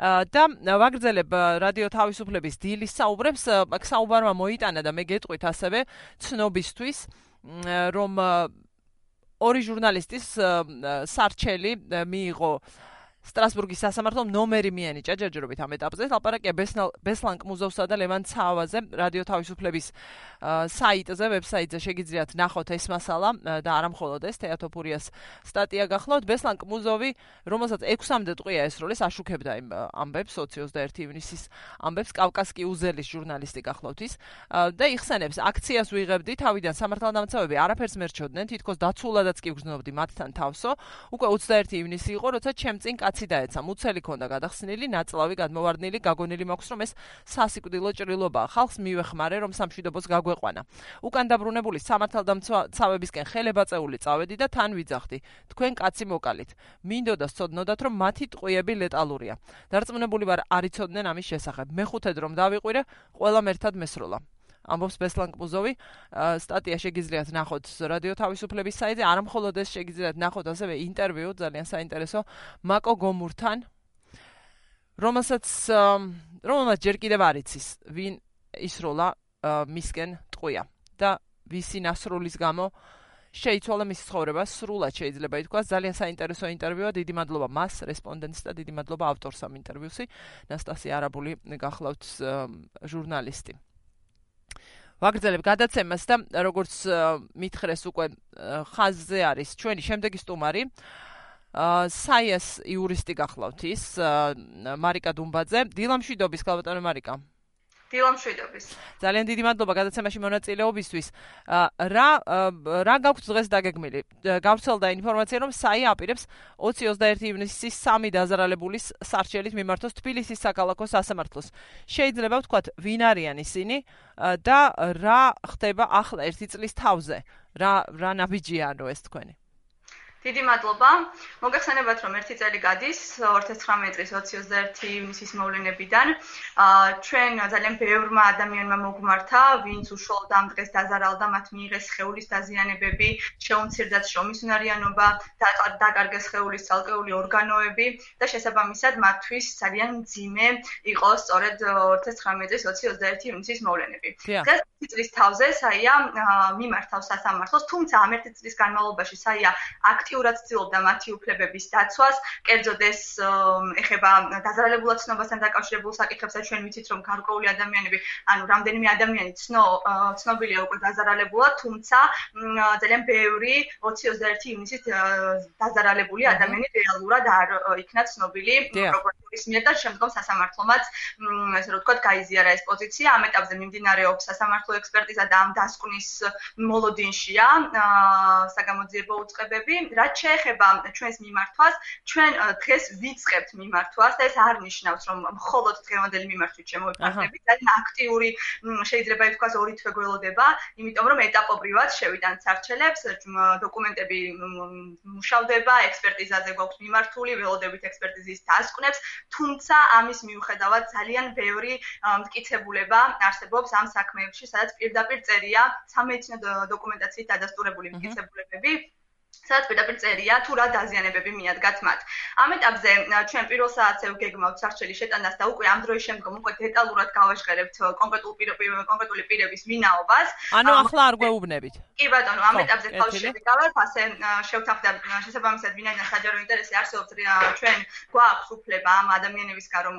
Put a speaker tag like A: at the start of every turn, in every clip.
A: და ვაგრძელებ რადიო თავისუფლების დილის საუბრებს, საუბარმა მოიტანა და მე გეტყვით ასევე ცნობისთვის, რომ ორი ჟურნალისტის სარჩელი მიიღო სტრასბურგის სასამართლომ ნომერი მიენიჭა ჯერჯერობით ამ ეტაპზე. ლაპარაკია ბესლან კმუზოვსა და ლევან ცავაზე რადიო თავისუფლების საიტზე, ვებსაიტზე შეგიძლიათ ნახოთ ეს მასალა და არა მხოლოდ ეს თეატოფურიას სტატია გახლავთ. ბესლან კმუზოვი, რომელსაც 6-მდე ტყვია ესროლეს, აშუქებდა იმ ამბებს 21 ივნისის ამბებს, კავკასკი უზელის ჟურნალისტი გახლავთ ის და იხსენებს აქციას ვიღებდი, თავიდან სამართალდამცავები არაფერს მერჩოდნენ, თითქოს დაცულადაც კი ვგრძნობდი მათთან თავსო. უკვე 21 ივნისი იყო, როცა ჩემ წინ კაცი დაეცა, მუცელი ქონდა გადახსნილი, ნაწლავი გადმოვარდნილი, გაგონილი მაქვს, რომ ეს სასიკვდილო ჭრილობაა. ხალხს მივეხმარე, რომ სამშვიდობოს გაგვეყვანა. უკან დაბრუნებული სამართალდამცავებისკენ ხელებაწეული წავედი და თან ვიძახდი. თქვენ კაცი მოკალით. მინდოდა სწოდნოდათ, რომ მათი ტყვიები ლეტალურია. დარწმუნებული ვარ, არ იცოდნენ ამის შესახებ. მეხუთედ რომ დავიყვირე, ყველამ ერთად მესროლა. ამბობს ბესლან კმუზოვი, სტატია შეგიძლიათ ნახოთ რადიო თავისუფლების საიტზე, არა მხოლოდ ეს შეგიძლიათ ნახოთ, ასევე ინტერვიუ ძალიან საინტერესო მაკო გომურთან, რომელსაც ჯერ კიდევ არ იცის, ვინ ისროლა მისკენ ტყვია და ვისი ნასრულის გამო შეიცვალა მისი ცხოვრება, სრულად შეიძლება ითქვას. ძალიან საინტერესო ინტერვიუა, დიდი მადლობა მას, რესპონდენტს და დიდი მადლობა ავტორს ამ ინტერვიუსი, ნასტასია არაბული გახლავთ ჟურნალისტი. ვაგრძელებ გადაცემას და როგორც მითხრეს უკვე ხაზზე არის ჩვენი შემდეგი სტუმარი, საიას იურისტი გახლავთ ის, მარიკა დუმბაძე. დილამშვიდობის, ქალბატონო მარიკა.
B: დილამშვიდობის.
A: ძალიან დიდი მადლობა გადაცემაში მონაწილეობისთვის. რა გაქვთ დღეს დაგეგმილი? გავრცელდა ინფორმაცია, რომ საია აპირებს 20-21 ივნისის 3 დაზარალებულის სარჩელით მიმართოს თბილისის საქალაქო სასამართლოს. შეიძლება ვთქვათ, ვინ არიან ისინი და რა ხდება ახლა ერთი წლის თავზე? რა ნაბიჯია ეს თქვენი?
B: დიდი მადლობა. მოგეხსენებათ, რომ ერთი წელი გადის 2019 წლის 21 ივნისის მოვლენებიდან. ჩვენ ძალიან ბევრმა ადამიანმა მოგმართა, ვინც უშუალოდ ამ დღეს დაზარალდა, მათ მიიღეს სხეულის დაზიანებები, შეუმცირდათ შრომისუნარიანობა, დაკარგეს სხეულის ცალკეული ორგანოები და შესაბამისად მათთვის ძალიან მძიმე იყო სწორედ 2019 წლის 21 ივნისის მოვლენები. დღეს წლის თავზე საია მიმართავს სასამართლოს, თუმცა ამ ერთი წლის განმავლობაში საია აქტიურად ცდილობდა მათი უფლებების დაცვას, კერძოდ ეს ეხება დაზარალებულად ცნობასთან დაკავშირებულ საკითხებსაც. ჩვენ ვიცით, რომ გარკვეული ადამიანები, ანუ რამდენიმე ადამიანი ცნობილია უკვე დაზარალებულად, თუმცა ძალიან ბევრი 20-21 ივნისის დაზარალებული ადამიანი რეალურად არ იქნა ცნობილი პროკურატურის მიერ და შემდგომ სასამართლომაც, ესე რომ ვთქვათ, გაიზიარა ეს პოზიცია. ამ ეტაპზე მიმდინარეობს სასამართლო ექსპერტიზა და ამ დასკვნის მოლოდინშია საგამოძიებო უწყებები. რაც შეეხება ჩვენს მიმართვას, ჩვენ დღეს ვიწყებთ მიმართვას და ეს არ ნიშნავს, რომ მხოლოდ დღევანდელი მიმართვით შემოვიფარგლებით. ძალიან აქტიური შეიძლება ითქვას ორი თვე გველოდება, იმიტომ რომ ეტაპობრივად შევიდან სარჩელებს, დოკუმენტები მუშავდება, ექსპერტიზაზე გვაქვს მიმართული, ველოდებით ექსპერტიზის დასკვნებს, თუმცა ამის მიუხედავად ძალიან ბევრი მტკიცებულება არსებობს ამ საქმეებში, სადაც პირდაპირ წერია სამედიცინო დოკუმენტაციით დადასტურებული მტკიცებულებები, სადაც პირდაპირ წერია თუ რა დაზიანებები მიადგათ მათ. ამ ეტაპზე ჩვენ პირველ საათზე ვგეგმავთ სარჩელის შეტანას და უკვე ამ დროის შემდგომ უკვე დეტალურად გავაჟღერებთ კონკრეტული პირების ვინაობას.
A: ანუ ახლა არ გვეუბნებით.
B: კი ბატონო, ამ ეტაპზე თავში შევიკავებთ, ასე შევთანხმდით შესაბამისად ვინაიდან საჯარო ინტერესი არსებობს, ჩვენ გვაქვს უფლება ამ ადამიანების გარომ.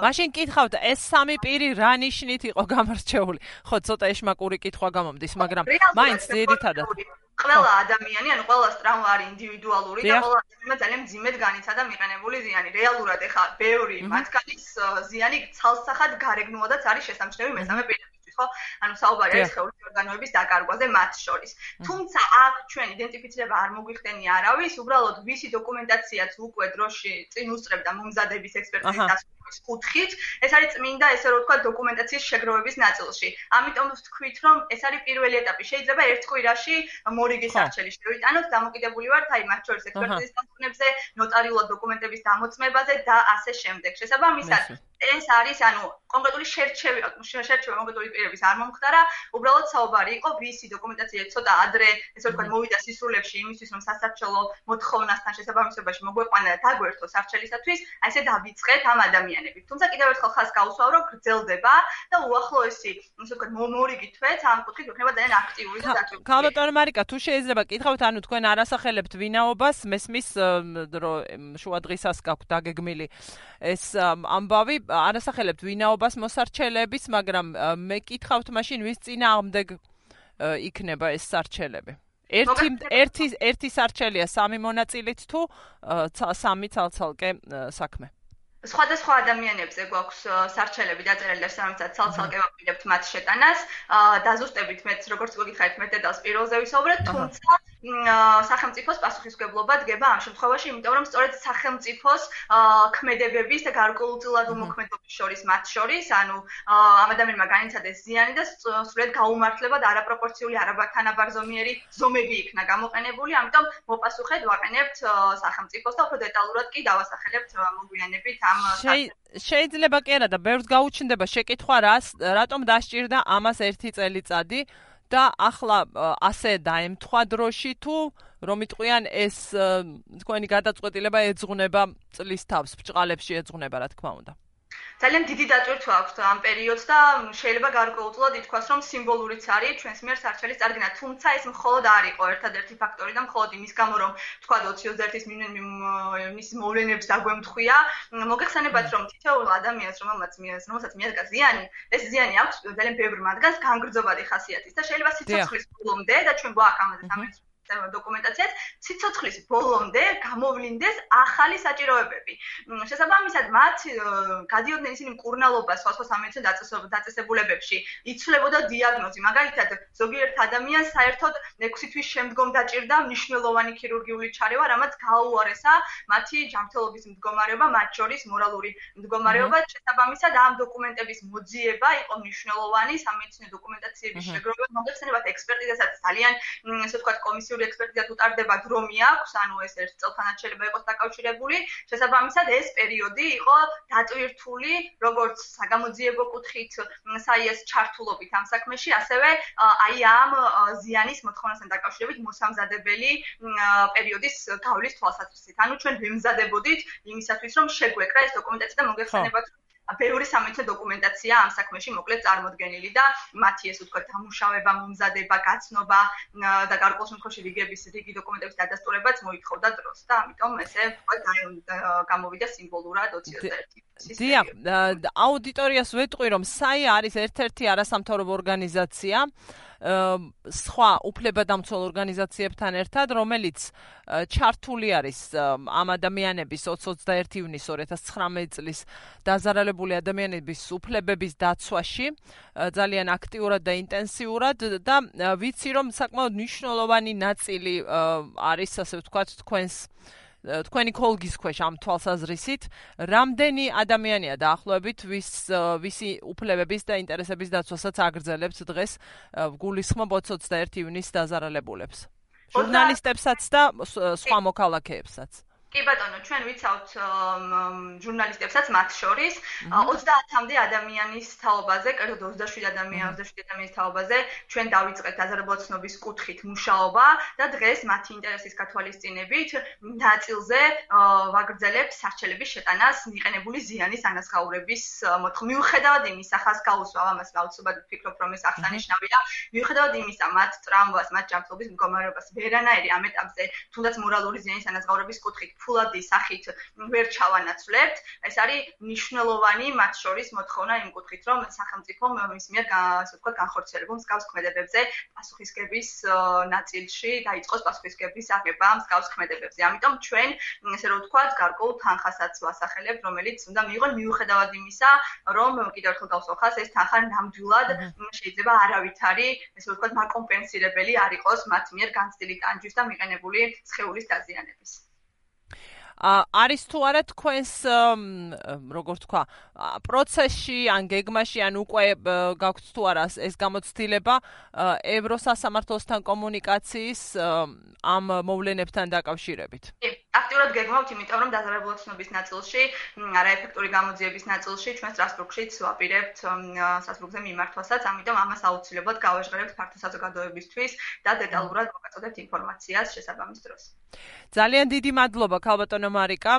A: მაშინ კითხავთ, ეს სამი პირი რა ნიშნით იყო გამარჩეული? ხო, ცოტა ეშმაკური კითხვა გამომდის, მაგრამ მაინც ძირითადად
B: ყველა ადამიანი, ანუ ყველა ტრავმა არის ინდივიდუალური და ყველა ადამიანმა ძალიან მძიმედ განიცადა მიყენებული ზიანი. რეალურად ეხა ბევრი მათგანის ზიანი ცალსახად გარეგნულადაც არის შესამჩნევი მესამე პირებისთვის, ხო? ანუ საუბარი არის სხეულის ორგანოების დაკარგვაზე მათ შორის. თუმცა აქ ჩვენ იდენტიფიცირება არ მოგვიხდენია არავის, უბრალოდ ვისი დოკუმენტაციაც უკვე დროში წინ უსწრებდა მომზადების ექსპერტიზის დასკვნების კუთხით, ეს არის წმინდა, ესე რომ ვთქვათ, დოკუმენტაციის შეგროვების ნაწილში. ამიტომ ვთქვით, რომ ეს არის პირველი ეტაპი. შეიძლება ერთ კვირაში მორიგი სარჩელი შევიტანოთ, დამოკიდებული ვართ აი მათ შორის ექსპერტიზის დასკვნებზე, ნოტარიულად დოკუმენტების დამოწმებაზე და ასე შემდეგ. შესაბამისად ეს არის, ანუ კონკრეტული შერჩევა კონკრეტული პირების დოკუმენტირების არ მომხდარა, უბრალოდ საუბარი იყო ვისი დოკუმენტაცია ცოტა ადრე, ესე ვთქვათ, მოვიდა სისრულებში იმისთვის, რომ სასარჩელო მოთხოვნასთან შესაბამისობაში მოგვეყვანა და დაგვერთო სარჩელისათვის, აი ესე დავიწყეთ ამ ადამიანებით. თუმცა კიდევ ერთხელ ხაზს გავუსვავ, რომ გრძელდება და უახლოესი, ესე ვთქვათ, მორიგი თვეც ამ კუთხით იქნება ძალიან აქტიური და დაწვრილი.
A: ქალბატონო მარიკა, თუ შეიძლება კითხავთ, ანუ თქვენ არასახელებთ ვინაობას, მესმის რომ შუა დღისას გაქვთ დაგეგმილი ეს ამბავი, არასახელებთ ვინაობას მოსარჩელების, მაგრამ მე კითხავთ მაშინ ვის წინააღმდეგ იქნება ეს სარჩელები. ერთი სარჩელია 3 მონაწილით თუ 3 ცალცალკე საქმე.
B: სხვადასხვა ადამიანებზე გვაქვს სარჩელები დაწერილი და სამწად ცალცალკე ვაპირებთ მათ შეტანას. დაზუსტებით მეც როგორც გოგითხარით მე დედალს პირველზე ვისაუბრეთ, თუმცა სახელმწიფოს პასუხისმგებლობა დგება ამ შემთხვევაში, იმიტომ რომ სწორედ სახელმწიფოს ქმედებების და გარკვეულწილად უმოქმედობის შორის მათ შორის, ანუ ამ ადამიანმა განიცადეს ზიანი და სრულიად გაუმართლებად არაპროპორციული არათანაბარზომიერი ზომები იქნა გამოყენებული, ამიტომ მოპასუხედ ვაყენებთ სახელმწიფოს და უფრო დეტალურად კი დავასახელებთ მოგვიანებით
A: შეიძლება კი არა და ბევრს გაუჩნდება შეკითხვა რატომ დასჭირდა ამას 1 წელიწადი და ახლა ასე დაემთხვა დროში თუ რომ იტყვიან ეს თქვენი გადაწყვეტილება ეძღვნება წლის თავს, ბრჭყალებში ეძღვნება რა თქმა უნდა.
B: ძალიან დიდი დატვირთვა აქვს ამ პერიოდს და შეიძლება გარკვეულწილად ითქვას, რომ სიმბოლურიც არის ჩვენს მიერ სარჩელის წარდგენა, თუმცა ეს მხოლოდ არ იყო ერთადერთი ფაქტორი და მხოლოდ იმის გამო, რომ თქვა 21-ის მის მოვლენებს დაგვემთხვია. მოგეხსენებათ, რომ თითოეულ ადამიანს, რომელსაც მიადგა ზიანი, ეს ზიანი აქვს ძალიან ბევრ მათგანს განგრძობადი ხასიათის და შეიძლება სიცოცხლის ბოლომდე და ჩვენ გვაქვს ამაზე სამეცნიერო დოკუმენტაციაც ციცოცხლის ბოლომდე გამოვლინდეს ახალი საჭიროებები. შესაბამისად, მათ გადიოდნენ ისინი მკურნალობას სხვადასხვა სამეცნიერო დაწესებულებებში, იცვლებოდა დიაგნოზი. მაგალითად, ზოგიერთ ადამიანს საერთოდ 6 თვის შემდგომ დაჭირდა მნიშვნელოვანი ქირურგიული ჩარევა, რამაც გაუარესა მათი ჯანმრთელობის მდგომარეობა, მათ შორის მორალური მდგომარეობა. შესაბამისად, ამ დოკუმენტების მოძიება იყო მნიშვნელოვანი სამეცნიერო დოკუმენტაციების შეგროვება. მოგეხსენებათ, ექსპერტიზასაც ძალიან, ესე ვთქვათ, კომისიური ექსპერტიზა თუ ტარდება დრომი აქვს, ანუ ეს ერთ წელთანაც შეიძლება იყოს დაკავშირებული. შესაბამისად, ეს პერიოდი იყო დატვირთული როგორც საგამოძიებო კუთხით საიეს ჩართულობით ამ საქმეში, ასევე აი ამ ზიანის მოთხოვნასთან დაკავშირებით მოსამზადებელი პერიოდის გავლის თვალსაზრისით. ანუ ჩვენ ვემზადებოდით იმისათვის, რომ შეგვეკრა ეს დოკუმენტაცია და მოგეხსენებათ, ბევრი სამეცნიერო დოკუმენტაცია ამ საქმეში მოკლედ წარმოდგენილი და მათი ეს ვთქვათ დამუშავება, მომზადება, გაცნობა და გარკვეულ შემთხვევაში რიგი დოკუმენტების დადასტურებაც მოითხოვდა დროს და ამიტომ ესე ვთქვათ გამოვიდა სიმბოლურად 21.
A: დიახ, აუდიტორიას ვეტყვი, რომ SAI არის ერთ-ერთი არასამთავრობო ორგანიზაცია სხვა უფლებადამცველ ორგანიზაციებთან ერთად, რომელიც ჩართული არის ამ ადამიანების 21 ივნის 2019 წლის დაზარალებული ადამიანების უფლებების დაცვაში ძალიან აქტიურად და ინტენსიურად და ვიცი, რომ საკმაოდ მნიშვნელოვანი ნაწილი არის, ასე ვთქვათ, თქვენი ქოლგის ქვეშ ამ თვალსაზრისით, რამდენი ადამიანია დაახლოებით ვისი უფლებების და ინტერესების დაცვასაც აგრძელებთ დღეს გულისხმობ 21 ივნის დაზარალებულებს, ჟურნალისტებსაც და სხვა მოქალაქეებსაც.
B: კი ბატონო, ჩვენ ვიცავთ ჟურნალისტებსაც მათ შორის 30-მდე ადამიანის თაობაზე, კერძოდ 27 ადამიანის თაობაზე ჩვენ დავიწყეთ დაზარალებული ცნობის კუთხით მუშაობა და დღეს მათი ინტერესის გათვალისწინებით ნაწილზე ვაგრძელებთ სარჩელების შეტანას მიყენებული ზიანის ანაზღაურების მოთხოვნით. მიუხედავად იმისა, ხაზს გავუსვავ ამას, აუცილებლად ვფიქრობ, რომ ეს აღსანიშნავია. მიუხედავად იმისა, მათ ტრამვას, მათ ჯანმრთელობის მდგომარეობას ვერანაირი ამ ეტაპზე, თუნდაც მორალური ზიანის ანაზღაურების კუთხით ფულადი სახით ვერ ჩავანაცვლებთ. ეს არის მნიშვნელოვანი მათ შორის მოთხოვნა იმ კუთხით, რომ სახელმწიფომ მის მიერ ასე ვთქვათ განხორციელებულ მსგავს ქმედებებზე პასუხისგების ნაწილში დაიწყოს პასუხისგების აღება მსგავს ქმედებებზე. ამიტომ ჩვენ ესე რომ ვთქვათ, გარკვეულ თანხასაც ვასახელებთ, რომელიც უნდა მიიღონ მიუხედავად იმისა, რომ კიდევ ერთხელ გავსახავს, ეს თანხა ნამდვილად შეიძლება არავითარი, ესე ვთქვათ, მაკომპენსირებელი არ იყოს მათ მიერ განცდილი ტანჯვის და მიყენებული სხეულის დაზიანების.
A: არის თუ არა თქვენს როგორ თქვა პროცესში ან გეგმაში ან უკვე გაქვთ თუ არა ეს გამოცდილება ევროსასამართლოსთან კომუნიკაციის ამ მოვლენებთან დაკავშირებით?
B: აქტიურად გეგმავთ, იმიტომ რომ დაზარალებული ცნობის ნაწილში, არაეფექტური გამოძიების ნაწილში ჩვენ სტრასბურგშიც ვაპირებთ სასწრაფოზე მიმართვასაც, ამიტომ ამას აუცილებლად გავაჟღერებთ ფართო საზოგადოებისთვის და დეტალურად მოგაწოდებთ ინფორმაციას შესაბამის დროს.
A: ძალიან დიდი მადლობა ქალბატონო მარიკა.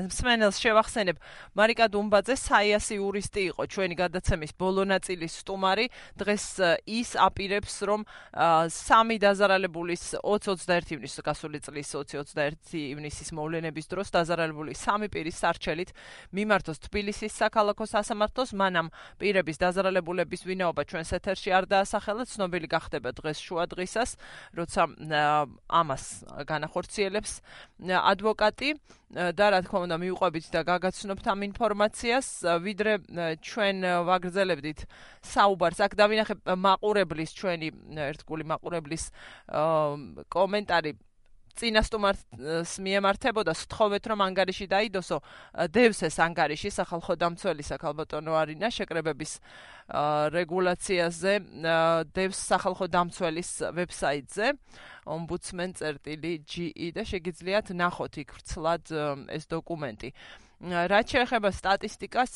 A: მსმენელს შევახსენებ, მარიკა დუმბაძე საიასი იურისტი იყო ჩვენი გადაცემის ბოლო ნაწილის სტუმარი. დღეს ის აპირებს, რომ 3 დაზარალებულის 20-21 ივნის გასული წლის 20-21 ივნისის მოვლენების დროს დაზარალებული 3 პირის სარჩელით მიმართოს თბილისის საქალაქო სასამართლოს. მანამ პირების დაზარალებულების ვინაობა ჩვენს ეთერში არ დაასახელა, ცნობილი გახდება დღეს შუა დღისას, როცა ამას განახორციელებს ადვოკატი და რა თქმა უნდა მიუყვებით და გაგაცნობთ ამ ინფორმაციას, ვიდრე ჩვენ ვაგრძელებდით საუბარს. აქ დავინახე მაყურებლის, ჩვენი ერთგული მაყურებლის კომენტარი წინასტუმარს მიემართებოდა, სთხოვეთ რომ ანგარიში დაიდოსო, დევს ეს ანგარიში სახალხო დამცველისა ქალბატონო არინა შეკრებების რეგულაციაზე, დევს სახალხო დამცველის ვებსაიტზე ombudsman.ge და შეგიძლიათ ნახოთ იქ ვრცლად ეს დოკუმენტი. რაც შეეხება სტატისტიკას,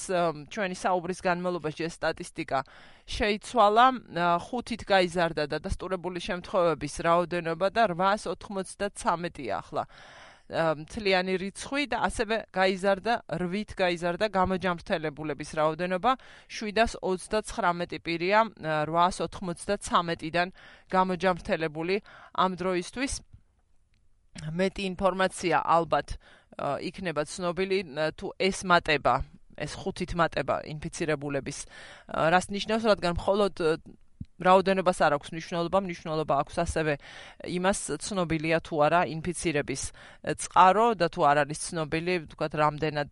A: ჩვენი საუბრის განმავლობაში ეს სტატისტიკა შეიცვალა, 5-ით გაიზარდა დადასტურებული შემთხვევების რაოდენობა და 893-ია ახლა მთლიანი რიცხვი და ასევე გაიზარდა 8-ით გაიზარდა გამოჯამრთელებულების რაოდენობა, 729 პირია 893-დან გამოჯამრთელებული ამ დროისთვის. მეტი ინფორმაცია ალბათ იქნება ცნობილი თუ ეს მატება, ეს 5-ით მატება ინფიცირებულების, რას ნიშნავს, რადგან მხოლოდ რაოდენობას არ აქვს მნიშვნელობა აქვს ასევე იმას ცნობილია თუ არა ინფიცირების წყარო და თუ არ არის ცნობილი, ვთქვათ, რამდენად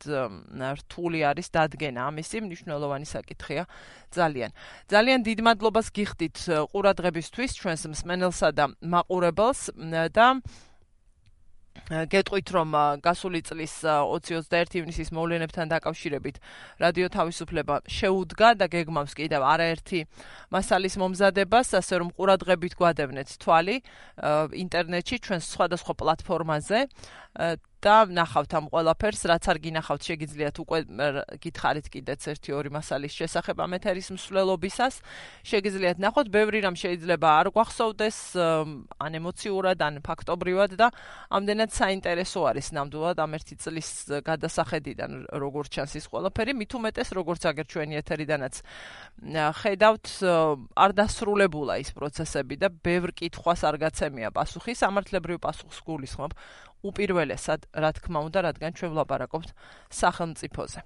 A: რთული არის დადგენა ამისი, მნიშვნელოვანი საკითხია ძალიან. ძალიან დიდ მადლობას გიხდით ყურადღებისთვის ჩვენს მსმენელსა და მაყურებელს და გეტყვით, რომ გასული წლის 20-21 ივნისის მოვლენებთან დაკავშირებით რადიო თავისუფლება შეუდგა და გეგმავს კიდევ არაერთი მასალის მომზადებას, ასე რომ ყურადღებით გვადევნეთ თვალი ინტერნეტში ჩვენს სხვადასხვა პლატფორმაზე და ნახავთ ამ ყველაფერს, რაც არ გინახავთ, შეგიძლიათ უკვე გითხარით კიდეც 1-2 მასალის შესახებ ამ ეთერის მსვლელობისას. შეგიძლიათ ნახოთ, ბევრი რამ შეიძლება არ გვახსოვდეს, ან ემოციურად, ან ფაქტობრივად და ამდენად საინტერესო არის ნამდვილად ამ 1 წლის გადასახედიდან, როგორც ჩანს ის ყველაფერი, მით უმეტეს, როგორც აგერ ჩვენი ეთერიდანაც ხედავთ, არ დასრულებულა ის პროცესები და ბევრ კითხვას არ გაცემია პასუხი, სამართლებრივ პასუხს გულისხმობ უპირველესად, რა თქმა უნდა, რადგან ჩვენ ვლაპარაკობთ სახელმწიფოზე.